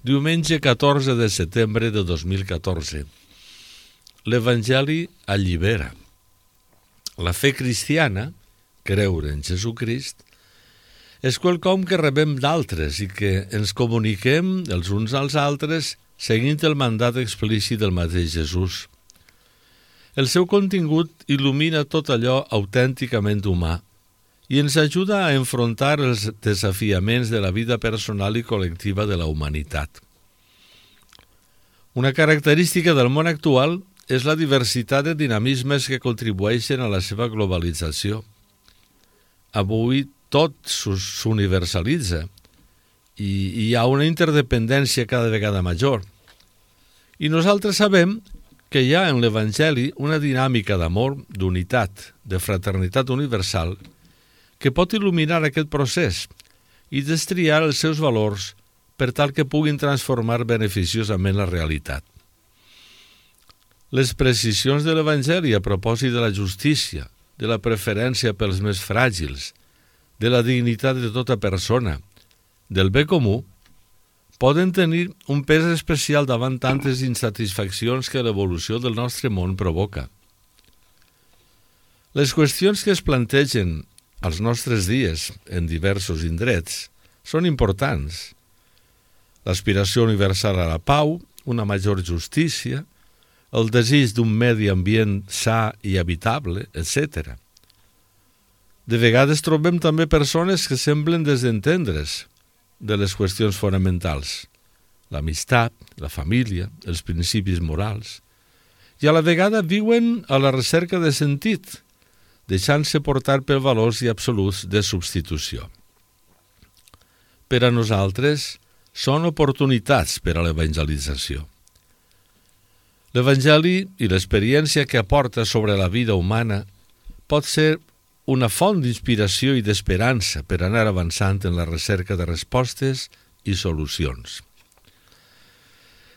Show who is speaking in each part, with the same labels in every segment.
Speaker 1: Diumenge 14 de setembre de 2014. L'Evangeli allibera. La fe cristiana, creure en Jesucrist, és quelcom que rebem d'altres i que ens comuniquem els uns als altres seguint el mandat explícit del mateix Jesús. El seu contingut il·lumina tot allò autènticament humà i ens ajuda a enfrontar els desafiaments de la vida personal i col·lectiva de la humanitat. Una característica del món actual és la diversitat de dinamismes que contribueixen a la seva globalització. Avui tot s'universalitza i hi ha una interdependència cada vegada major. I nosaltres sabem que hi ha en l'Evangeli una dinàmica d'amor, d'unitat, de fraternitat universal que pot il·luminar aquest procés i destriar els seus valors per tal que puguin transformar beneficiosament la realitat. Les precisions de l'Evangeli a propòsit de la justícia, de la preferència pels més fràgils, de la dignitat de tota persona, del bé comú, poden tenir un pes especial davant tantes insatisfaccions que l'evolució del nostre món provoca. Les qüestions que es plantegen als nostres dies en diversos indrets són importants. L'aspiració universal a la pau, una major justícia, el desig d'un medi ambient sa i habitable, etc. De vegades trobem també persones que semblen desentendre's de les qüestions fonamentals, l'amistat, la família, els principis morals, i a la vegada viuen a la recerca de sentit, deixant-se portar per valors i absoluts de substitució. Per a nosaltres són oportunitats per a l'evangelització. L'Evangeli i l'experiència que aporta sobre la vida humana pot ser una font d'inspiració i d'esperança per anar avançant en la recerca de respostes i solucions.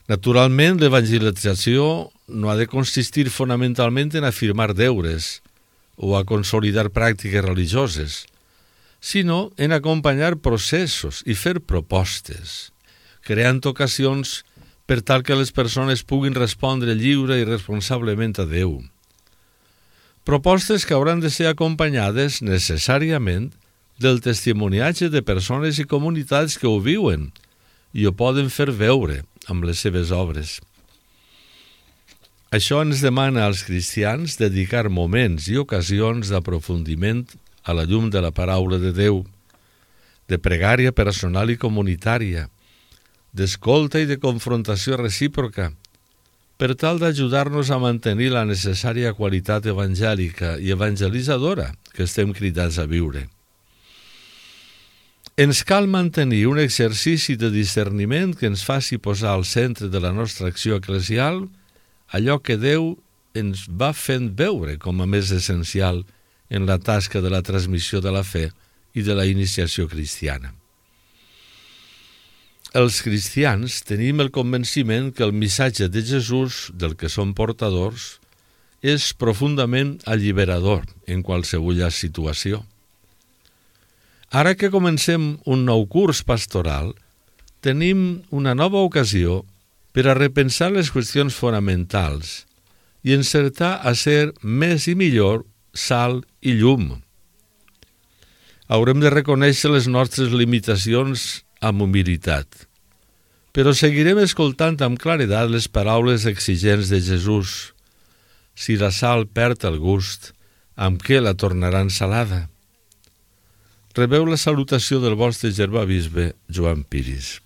Speaker 1: Naturalment, l'evangelització no ha de consistir fonamentalment en afirmar deures o a consolidar pràctiques religioses, sinó en acompanyar processos i fer propostes, creant ocasions per tal que les persones puguin respondre lliure i responsablement a Déu. Propostes que hauran de ser acompanyades necessàriament del testimoniatge de persones i comunitats que ho viuen i ho poden fer veure amb les seves obres. Això ens demana als cristians dedicar moments i ocasions d'aprofundiment a la llum de la paraula de Déu, de pregària personal i comunitària, d'escolta i de confrontació recíproca, per tal d'ajudar-nos a mantenir la necessària qualitat evangèlica i evangelitzadora que estem cridats a viure. Ens cal mantenir un exercici de discerniment que ens faci posar al centre de la nostra acció eclesial allò que Déu ens va fent veure com a més essencial en la tasca de la transmissió de la fe i de la iniciació cristiana. Els cristians tenim el convenciment que el missatge de Jesús, del que som portadors, és profundament alliberador en qualsevol situació. Ara que comencem un nou curs pastoral, tenim una nova ocasió per a repensar les qüestions fonamentals i encertar a ser més i millor sal i llum. Haurem de reconèixer les nostres limitacions amb humilitat, però seguirem escoltant amb claredat les paraules exigents de Jesús. Si la sal perd el gust, amb què la tornaran salada? Rebeu la salutació del vostre germà bisbe Joan Piris.